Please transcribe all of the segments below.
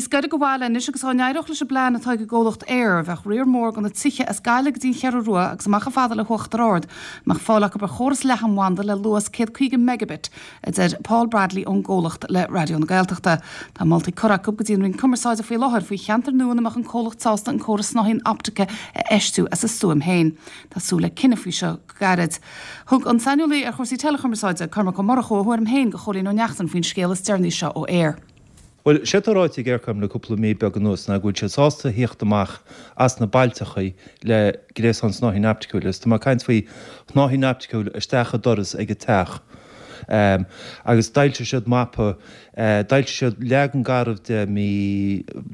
Níos gaire do bhaile anois agus dá n-éireodh leis an bplean atá ag an gcomhlacht Eir, bheadh riar mór de na tithe as Gaillimh go dtí an Cheathrú Rua agus amach chomh fada le hUachtar Ard, a mbeadh fáil acu ar chóras leathanbhanda le luas 150 megabit, a deir Paul Bradley ón gcomhlacht le Raidió na Gaeltachta. Tá moltaí curtha acu go dtí an Roinn Cumarsáide faoi láthair faoi cheantair nua ina mbeadh an comhlacht sásta an córas snáithín optaice a fheistiú as a stuaim féin. Tá súil le cinneadh faoi seo go gairid. Thug an saineolaí ar chúrsaí teileachumarsáide, Cormac Ó Murchú, a thuairim féin do Chóilín Ó Neachtain faoin scéal is deireanaí seo ó Eir. Bhuel, sé atá ráite ag Eircom le cúpla mí beag anuas ná go bhfuil siad sásta thíocht amach as na bailteachaí le gréasán snáithín opticiúil agus tá mé ag caint faoi shnáithín opticiúil isteach i doras ag an teach. Agus d'fhoilsigh siad mapa, d'fhoilsigh siad leagan garbh de mí,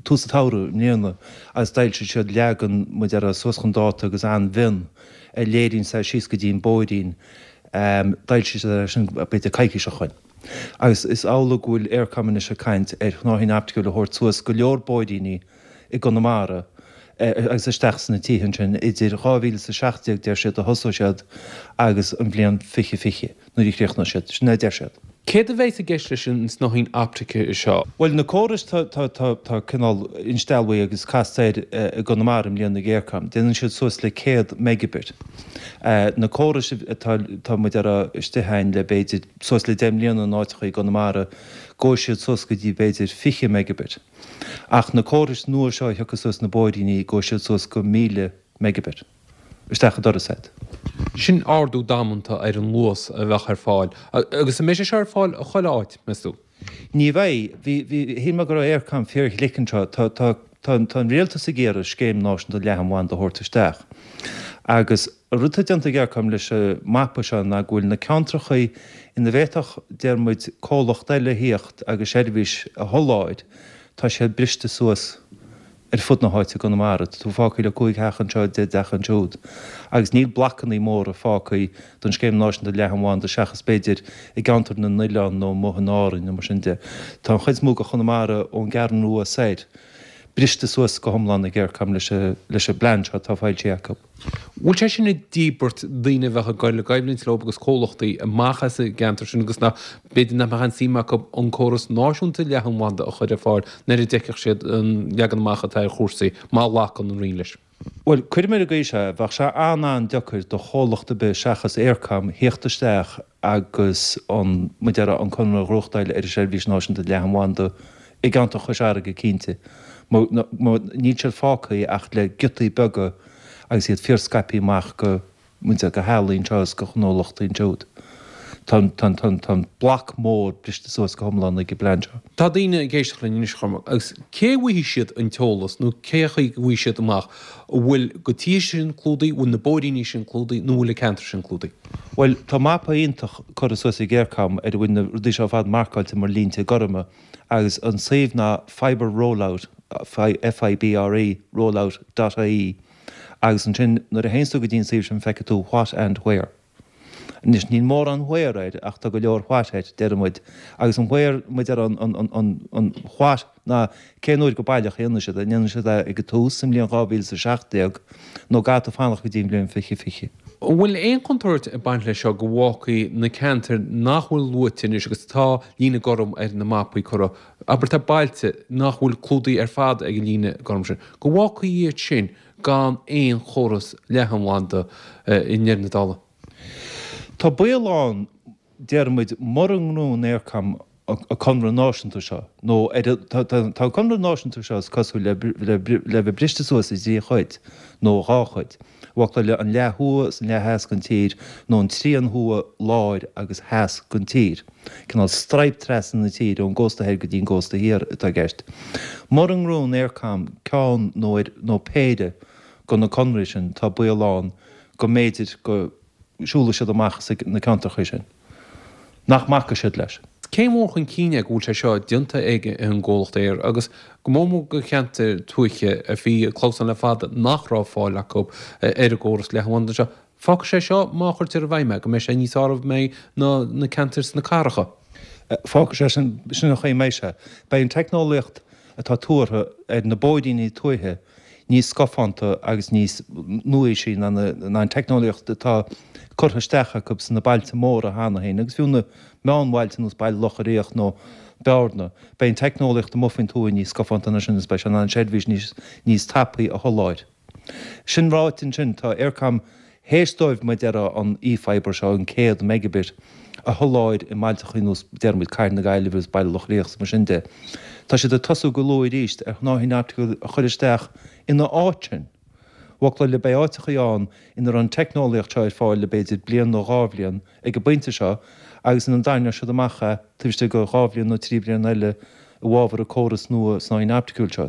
tús an tsamhraidh i mbliana agus d'fhoilsigh siad leagan, mar a déarfá, suas chun dáta agus an-mhion a léiríonn sé síos go dtí an bóithrín. D'fhoilsigh siad é sin b'fhéidir coicís ó shoin. Agus is amhlaidh go bhfuil Eircom anois ag caint ar shnáithín opticiúil a thabhairt suas go leor bóithríní i gConamara agus isteach sna tithe ansin idir 2017, deir siad, a thosóidh siad agus an bhliain 2020 nuair a chríochnóidh siad. Sin é a deir siad. Céard a bheas i gceist leis an snáithín optaice seo? Bhuel, na córais tá cineál insteallmhaithe agus casta air i gConamara i mbliana ag Eircom. Déanann siad suas le 100 megabit. Na córais atá, tá muid a rá, istigh a'inn le b'fhéidir suas le 10 mbliana in áiteacha i gConamara, gabhfaidh siad suas go dtí b'fhéidir 20 megabit. Ach na córais nua seo a thiocfas suas na bóithríní, gabhfaidh siad suas go 1,000 megabit isteach an doras a'd. Sin ardú damanta ar an luas a bheadh ar fáil. Agus an mbeidh sé seo ar fáil chuile áit, meas tú? Ní bheidh. Bhí, bhí, shíl mé go raibh Eircom fíor-ghlic anseo. Tá, tá, tá, tá an rialtas ag iarraidh scéim náisiúnta leathanbhanda a thabhairt isteach. Agus an rud atá déanta ag Eircom leis an mapa seo ná go bhfuil na ceantrachaí ina bhféadfadh, deir muid, comhlacht eile a thíocht agus seirbhís a sholáthar, tá siad briste suas ar fud na háite i gConamara. Tá tú fágtha le 5 theach anseo, 10 dteach ansiúd. Agus níl blocannaí móra fágtha don Scéim Náisiúnta Leathanbhanda seachas b'fhéidir i gceantar na n-oileán nó amuigh in Árainn nó mar sin de. Tá an chuid is mó de Chonamara ón gCeathrú Rua soir briste suas go hiomlán ag Eircom leis an bplean seo atá foilsithe acu. Bhfuil sé sin ag díbirt daoine a bheadh ag dul i gcoimhlint leo agus comhlachtaí amach as an gceantar sin agus nach, b'fhéidir nach mbeadh aon suim acu an córas náisiúnta leathanbhanda a chur ar fáil nuair a d'fheicfeadh siad an leagan amach atá ar chúrsaí, má ghlacann an Roinn leis? Bhuel, cuirim ar an gcaoi seo é, bheadh sé an-an-deacair do chomhlacht ar bith seachas Eircom thíocht isteach agus an, mar a déarfá, an conradh a ghnóthachtáil ar an seirbhís náisiúnta leathanbhanda i gceantar Chois Fharraige cinnte. Níl siad fágtha ach le giotaí beaga agus iad fíor-scaipthe amach go, mar a déarfá, go theaghlaigh anseo is go gnólachtaí ansiúd. Tá an, tá an, tá an, tá an bloc mór briste suas go hiomlán ag an bplean seo. Tá daoine ag éisteacht linn anois, a Chormaic, agus cé a bhfaighidh siad an t-eolas nó cé chaoi go bhfaighidh siad amach an bhfuil na tithe sin clúdaithe, an bhfuil na bóithríní sin clúdaithe nó an bhfuil an ceantar sin clúdaithe? Bhuel, tá mapa iontach curtha suas ag Eircom ar a bhfuil na rudaí seo ar fad marcáilte mar línte gorma agus an suíomh ná Fibre Rollout, F-I-B-R-E, rollout dot ie agus ansin nuair a théanns tú go dtí an suíomh sin feicfidh tú what and where. Anois níl mórán where air ach tá go leor what air, deir muid. Agus an where, mar a déarfá, an, an, an, an what ná cén uair go baileach a dhéanfaidh siad é, an ndéanfaidh siad é ag an tús sa mbliain 2017 nó an gcaithfidh tú fanacht go dtí an bhliain 2020. An bhfuil aon chontúirt ag baint leis seo go bhfágfaí na ceantair nach bhfuil luaite anois agus tá líne gorm ar na mapaí curtha, abair tá bailte nach bhfuil clúdaithe ar fad ag an líne gorm sin, go bhfágfaí iad sin gan aon chóras leathanbhanda i ndeireadh na dála? Tá baol ann, deir muid, mura ngnóthaíonn Eircom an conradh náisiúnta seo, nó ar a, tá, tá, tá an conradh náisiúnta seo is cosúil le, le, le bheith briste suas i dtrí chuid, nó dhá chuid, bhfocla le an leath thuaidh is an leath theas den tír, nó an trian thuaidh, láir agus theas den tír. Cineál straidhp trasna na tíre ón gcósta thoir go dtí an gcósta thiar atá i gceist. Mura ngnóthaíonn Eircom ceann nó ar, nó péire de na conraí sin, tá baol ann go mb'fhéidir go siúlfaidh siad amach as na ceantracha sin. Nach mbacfaidh siad leis. Céim mhór chun cinn é go bhfuil sé seo déanta ag an gcomhlacht Eir agus go mór mór do cheantair tuaithe a bhí ag clamhsán le fada nach raibh fáil acu ar an gcóras leathanbhanda seo. Fágfaidh sé seo, má chuirtear i bhfeidhm é, go mbeidh sé níos fearr ná na ceantair sna cathracha. Fágfaidh sé sin, sin an chaoi a mbeidh sé. Beidh an teicneolaíocht atá tuartha ar na bóithríní tuaithe níos scafánta agus níos nua-aoisí ná an teicneolaíocht atá curtha isteach acu sna bailte móra cheana féin agus fiú na meánbhailte nós Baile Locha Riach nó Bearna. Beidh an teicneolaíocht amuigh faoin tuath níos scafánta ná sin agus beidh sé in ann seirbhís níos níos tapaí a sholáthar. Sin ráite ansin, tá Eircom théis dóibh, mar a déarfá, an e-fibre seo, an 100 megabit, a sholáthar i mbailteachaí nós, déarfaidh muid, Cathair na Gaillimhe agus Baile Locha Riach is mar sin de. Tá siad ag tosú go luath arís ar shnáithín opticiúil a chur isteach ina áit sin. Bhfoclóir le beidh áiteachaí ann ina raibh an teicneolaíocht seo ar fáil le b'fhéidir bliain nó dhá bhliain ag an bpointe seo agus ina dtarraingeoidh siad amach é taobh istigh de dhá bhliain nó trí bliana eile i bhfabhar an córas nua snáithín opticiúil seo.